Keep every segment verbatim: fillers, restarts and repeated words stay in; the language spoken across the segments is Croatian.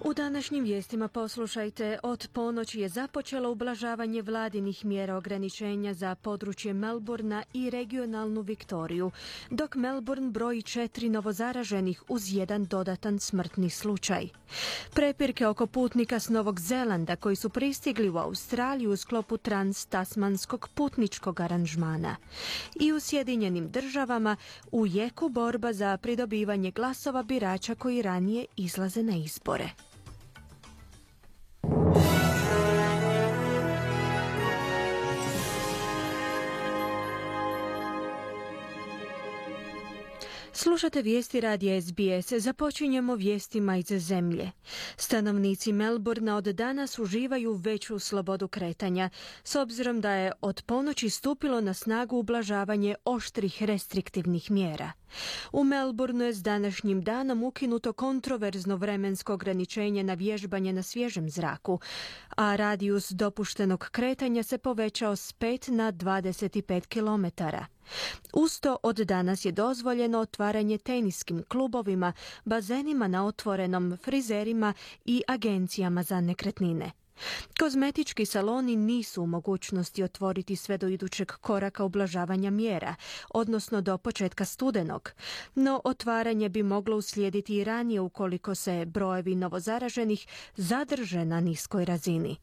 U današnjim vijestima poslušajte, od ponoći je započelo ublažavanje vladinih mjera ograničenja za područje Melbourna i regionalnu Viktoriju, dok Melbourne broji četiri novozaraženih uz jedan dodatan smrtni slučaj. Prepirke oko putnika s Novog Zelanda koji su pristigli u Australiju u sklopu trans-tasmanskog putničkog aranžmana. I u Sjedinjenim državama u jeku borba za pridobivanje glasova birača koji ranije izlaze na izbore. Slušate vijesti radija S B S. Započinjemo vijestima iz zemlje. Stanovnici Melbourna od danas uživaju veću slobodu kretanja, s obzirom da je od ponoći stupilo na snagu ublažavanje oštrih restriktivnih mjera. U Melbourneu je s današnjim danom ukinuto kontroverzno vremensko ograničenje na vježbanje na svježem zraku, a radijus dopuštenog kretanja se povećao s pet na dvadeset pet kilometara. Usto od danas je dozvoljeno otvaranje teniskim klubovima, bazenima na otvorenom, frizerima i agencijama za nekretnine. Kozmetički saloni nisu u mogućnosti otvoriti sve do idućeg koraka ublažavanja mjera, odnosno do početka studenog, no otvaranje bi moglo uslijediti i ranije ukoliko se brojevi novozaraženih zadrže na niskoj razini.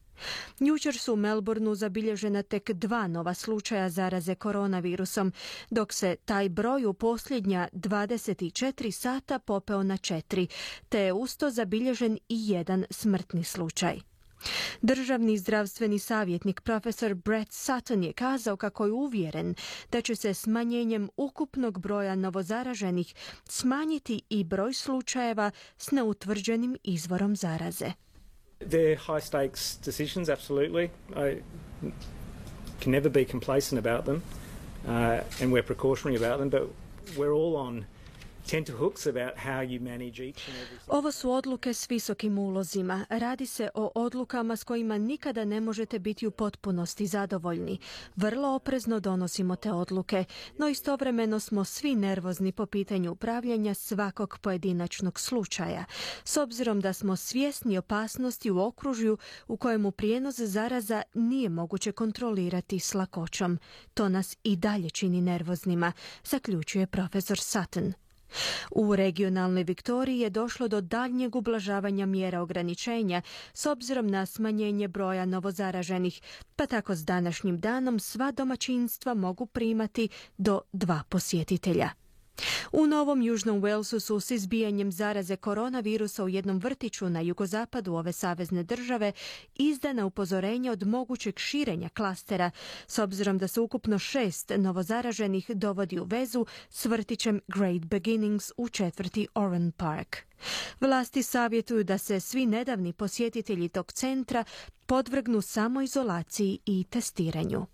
Jučer su u Melbourneu zabilježena tek dva nova slučaja zaraze koronavirusom, dok se taj broj u posljednja dvadeset četiri sata popeo na četiri, te je usto zabilježen i jedan smrtni slučaj. Državni zdravstveni savjetnik profesor Brett Sutton je kazao kako je uvjeren da će se smanjenjem ukupnog broja novozaraženih smanjiti i broj slučajeva s neutvrđenim izvorom zaraze. They're high stakes decisions, absolutely. I can never be complacent about them, uh, and we're precautionary about them, but we're all on tenterhooks about how you manage each and every. Ovo su odluke s visokim ulozima. Radi se o odlukama s kojima nikada ne možete biti u potpunosti zadovoljni. Vrlo oprezno donosimo te odluke, no istovremeno smo svi nervozni po pitanju upravljanja svakog pojedinačnog slučaja, s obzirom da smo svjesni opasnosti u okružju u kojemu prijenos zaraza nije moguće kontrolirati s lakoćom. To nas i dalje čini nervoznima, zaključuje profesor Sutton. U regionalnoj Viktoriji je došlo do daljnjeg ublažavanja mjera ograničenja s obzirom na smanjenje broja novozaraženih, pa tako s današnjim danom sva domaćinstva mogu primati do dva posjetitelja. U Novom Južnom Walesu su s izbijanjem zaraze koronavirusa u jednom vrtiću na jugozapadu ove savezne države izdana upozorenja od mogućeg širenja klastera, s obzirom da se ukupno šest novozaraženih dovodi u vezu s vrtićem Great Beginnings u četvrti Oran Park. Vlasti savjetuju da se svi nedavni posjetitelji tog centra podvrgnu samoizolaciji i testiranju.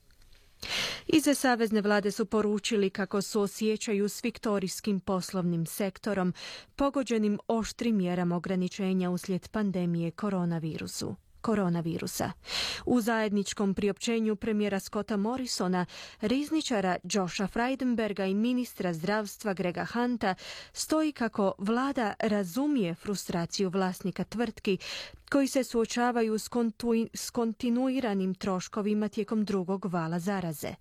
Iz savezne vlade su poručili kako su osjećaju s viktorijskim poslovnim sektorom pogođenim oštrim mjerama ograničenja uslijed pandemije koronavirusu. koronavirusa. U zajedničkom priopćenju premijera Scotta Morrisona, rizničara Josha Frydenberga i ministra zdravstva Grega Hunta stoji kako vlada razumije frustraciju vlasnika tvrtki koji se suočavaju s, kontu- s kontinuiranim troškovima tijekom drugog vala zaraze.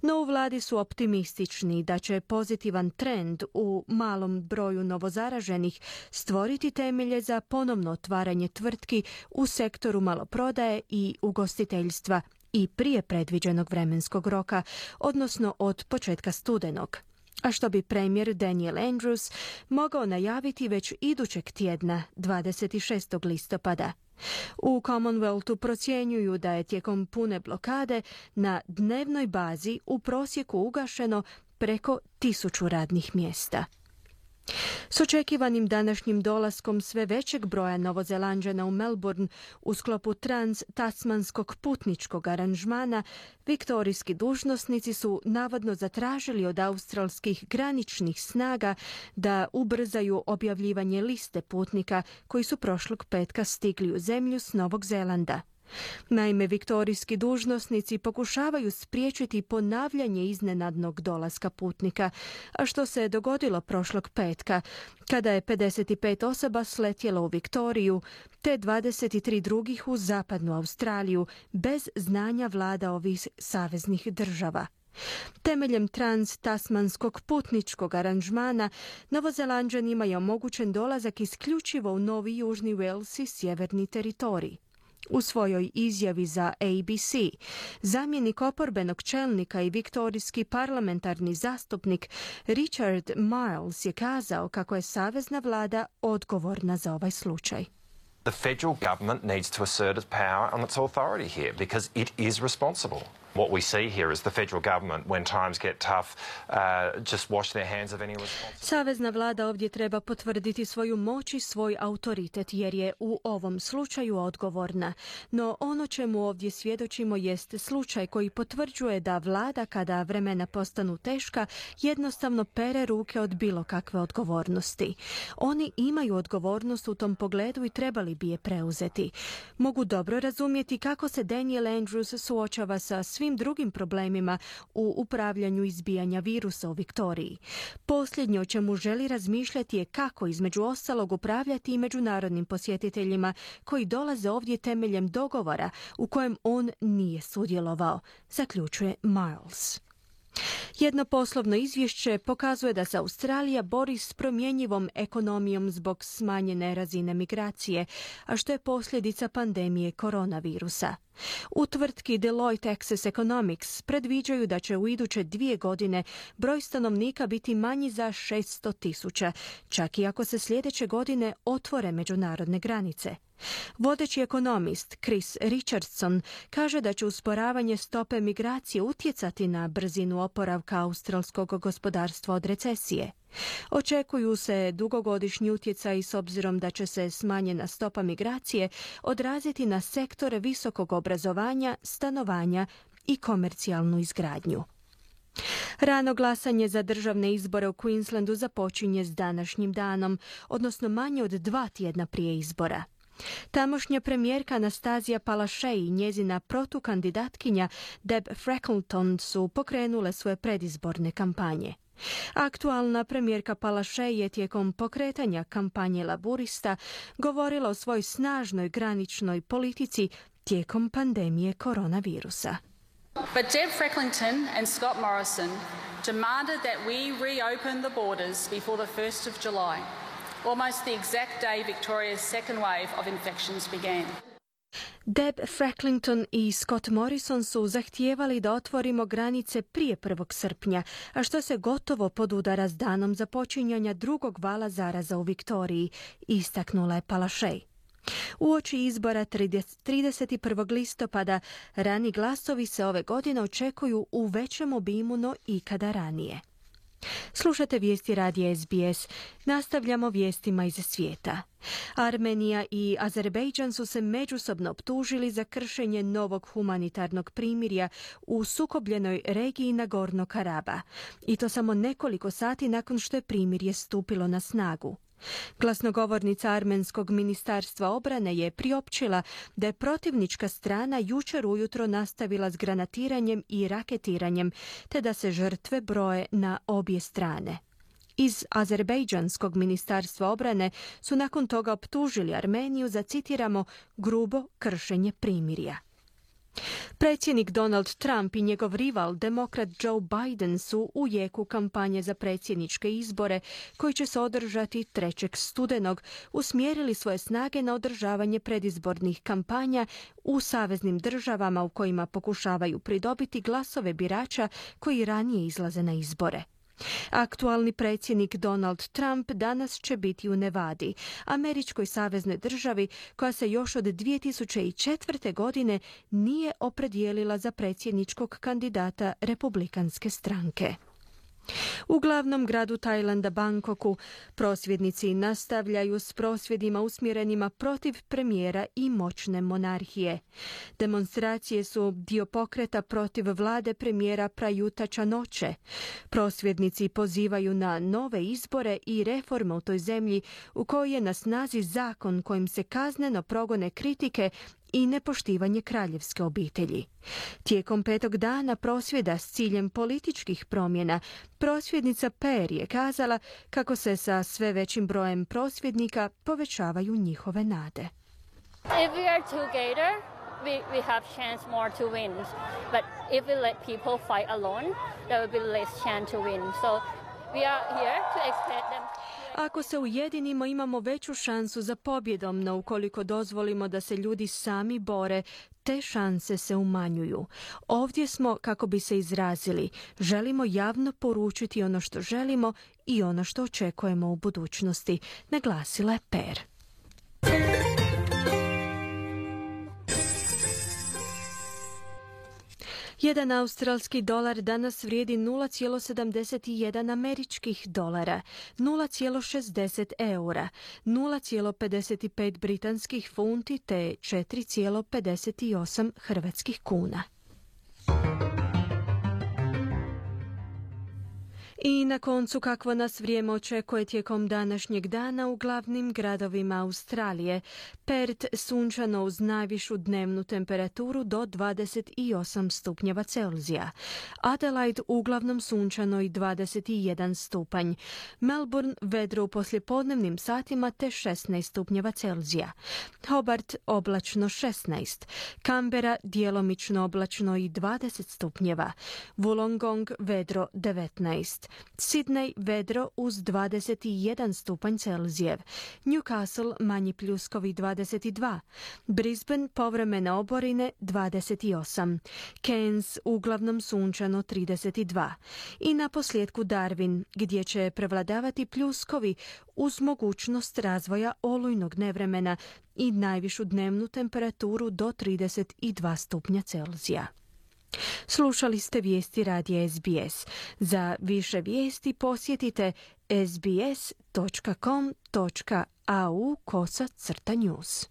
No u vladi su optimistični da će pozitivan trend u malom broju novozaraženih stvoriti temelje za ponovno otvaranje tvrtki u sektoru maloprodaje i ugostiteljstva i prije predviđenog vremenskog roka, odnosno od početka studenog, a što bi premijer Daniel Andrews mogao najaviti već idućeg tjedna, dvadeset šestog listopada. U Commonwealthu procjenjuju da je tijekom pune blokade na dnevnoj bazi u prosjeku ugašeno preko tisuću radnih mjesta. S očekivanim današnjim dolaskom sve većeg broja Novozelanđana u Melbourne u sklopu trans-tasmanskog putničkog aranžmana, viktorijski dužnosnici su navodno zatražili od australskih graničnih snaga da ubrzaju objavljivanje liste putnika koji su prošlog petka stigli u zemlju s Novog Zelanda. Naime, viktorijski dužnosnici pokušavaju spriječiti ponavljanje iznenadnog dolaska putnika, a što se je dogodilo prošlog petka, kada je pedeset pet osoba sletjelo u Viktoriju, te dvadeset tri drugih u zapadnu Australiju, bez znanja vlada ovih saveznih država. Temeljem trans-tasmanskog putničkog aranžmana, Novozelanđanima je omogućen dolazak isključivo u Novi Južni Wales i sjeverni teritorij. U svojoj izjavi za A B C, zamjenik oporbenog čelnika i viktorijski parlamentarni zastupnik Richard Marles je kazao kako je savezna vlada odgovorna za ovaj slučaj. The federal government needs to assert its power and its authority here because it is responsible. What we see here is the federal government, when times get tough, uh, just wash their hands of any responsibility. Savezna vlada ovdje treba potvrditi svoju moć i svoj autoritet jer je u ovom slučaju odgovorna. No ono čemu ovdje svjedočimo jest slučaj koji potvrđuje da vlada, kada vremena postanu teška, jednostavno pere ruke od bilo kakve odgovornosti. Oni imaju odgovornost u tom pogledu i trebali bi je preuzeti. Mogu dobro razumjeti kako se Daniel Andrews suočava sa svim drugim problemima u upravljanju izbijanja virusa u Viktoriji. Posljednje o čemu želi razmišljati je kako između ostalog upravljati i međunarodnim posjetiteljima koji dolaze ovdje temeljem dogovora u kojem on nije sudjelovao, zaključuje Miles. Jedno poslovno izvješće pokazuje da se Australija bori s promjenjivom ekonomijom zbog smanjene razine migracije, a što je posljedica pandemije koronavirusa. U tvrtki Deloitte Access Economics predviđaju da će u iduće dvije godine broj stanovnika biti manji za šesto tisuća, čak i ako se sljedeće godine otvore međunarodne granice. Vodeći ekonomist Chris Richardson kaže da će usporavanje stope migracije utjecati na brzinu oporavka australskog gospodarstva od recesije. Očekuju se dugogodišnji utjecaj s obzirom da će se smanjena stopa migracije odraziti na sektore visokog obrazovanja, stanovanja i komercijalnu izgradnju. Rano glasanje za državne izbore u Queenslandu započinje s današnjim danom, odnosno manje od dva tjedna prije izbora. Tamošnja premijerka Anastazija Palaszczuk i njezina protukandidatkinja Deb Freckleton su pokrenule svoje predizborne kampanje. Aktualna premijerka Palaszczuk je tijekom pokretanja kampanje laburista govorila o svojoj snažnoj graničnoj politici tijekom pandemije koronavirusa. But Deb Freckleton and Scott Morrison demanded that we reopen the borders before the first of July, almost the exact day Victoria's second wave of infections began. Deb Freckleton i Scott Morrison su zahtijevali da otvorimo granice prije prvog srpnja, a što se gotovo podudara s danom započinjanja drugog vala zaraza u Viktoriji, istaknula je Palaszczuk. Uoči izbora trideset prvog listopada rani glasovi se ove godine očekuju u većem obimu no ikada ranije. Slušate vijesti radija S B S. Nastavljamo vijestima iz svijeta. Armenija i Azerbejdžan su se međusobno optužili za kršenje novog humanitarnog primirja u sukobljenoj regiji Nagorno-Karaba. I to samo nekoliko sati nakon što je primirje stupilo na snagu. Glasnogovornica Armenskog ministarstva obrane je priopćila da je protivnička strana jučer ujutro nastavila s granatiranjem i raketiranjem, te da se žrtve broje na obje strane. Iz Azerbejdžanskog ministarstva obrane su nakon toga optužili Armeniju za, citiramo, grubo kršenje primirja. Predsjednik Donald Trump i njegov rival, demokrat Joe Biden, su u jeku kampanje za predsjedničke izbore koji će se održati trećeg studenog, usmjerili svoje snage na održavanje predizbornih kampanja u saveznim državama u kojima pokušavaju pridobiti glasove birača koji ranije izlaze na izbore. Aktualni predsjednik Donald Trump danas će biti u Nevadi, američkoj saveznoj državi koja se još od dvije tisuće četvrte. godine nije opredijelila za predsjedničkog kandidata republikanske stranke. U glavnom gradu Tajlanda, Bangkoku, prosvjednici nastavljaju s prosvjedima usmjerenima protiv premijera i moćne monarhije. Demonstracije su dio pokreta protiv vlade premijera Prayuta Chan-oche. Prosvjednici pozivaju na nove izbore i reforme u toj zemlji u kojoj je na snazi zakon kojim se kazneno progone kritike i nepoštivanje kraljevske obitelji. Tijekom petog dana prosvjeda s ciljem političkih promjena, prosvjednica Per je kazala kako se sa sve većim brojem prosvjednika povećavaju njihove nade. If we are together, we, we have chance more to win. But if we let people fight alone, there will be less chance to win. So we are here to expect them. Ako se ujedinimo, imamo veću šansu za pobjedom, no ukoliko dozvolimo da se ljudi sami bore, te šanse se umanjuju. Ovdje smo kako bi se izrazili. Želimo javno poručiti ono što želimo i ono što očekujemo u budućnosti, naglasila je Per. Jedan australski dolar danas vrijedi nula zarez sedamdeset jedan američkih dolara, nula zarez šezdeset eura, nula zarez pedeset pet britanskih funti te četiri zarez pedeset osam hrvatskih kuna. I na koncu kakvo nas vrijeme očekuje tijekom današnjeg dana u glavnim gradovima Australije. Perth sunčano uz najvišu dnevnu temperaturu do dvadeset osam stupnjeva Celzija. Adelaide uglavnom sunčano i dvadeset jedan stupanj. Melbourne vedro u poslijepodnevnim satima te šesnaest stupnjeva Celzija. Hobart oblačno šesnaest. Canberra djelomično oblačno i dvadeset stupnjeva. Wollongong vedro devetnaest. Sydney vedro uz dvadeset jedan stupanj Celzijev. Newcastle manji pljuskovi dvadeset dva. Brisbane povremene oborine dvadeset osam. Cairns uglavnom sunčano trideset dva. I na posljedku Darwin gdje će prevladavati pljuskovi uz mogućnost razvoja olujnog nevremena i najvišu dnevnu temperaturu do trideset dva stupnja Celzija. Slušali ste vijesti radija S B S. Za više vijesti posjetite sbs točka com točka au kosa crta news.